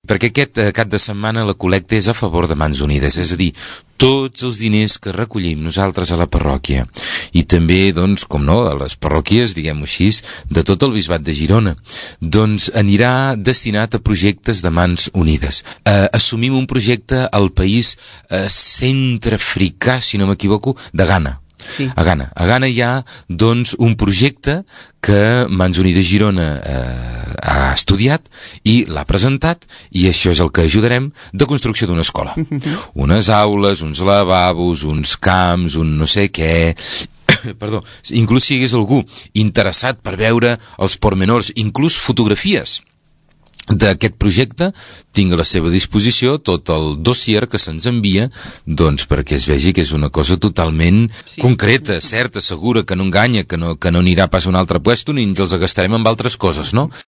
perquè aquest cap de setmana la col·lecta és a favor de Mans Unides, és a dir, tots els diners que recollim nosaltres a la parròquia i també, doncs, com no, a les parròquies, diguem-ho així, de tot el bisbat de Girona, doncs anirà destinat a projectes de Mans Unides. Assumim un projecte al país centreafricà, si no m'equivoco, de Ghana. Sí. A Ghana hi ha, doncs, un projecte que Mans Unides Girona ha estudiat i l'ha presentat, i això és el que ajudarem, de construcció d'una escola. Unes aules, uns lavabos, uns camps, un no sé què... Perdó, inclús si hi hagués algú interessat per veure els pormenors, inclús fotografies d'aquest projecte, tinc a la seva disposició tot el dossier que se'ns envia, doncs perquè es vegi que és una cosa totalment concreta, certa, segura, que no enganya, que no anirà pas a un altre puesto ni ens els gastarem amb altres coses, no?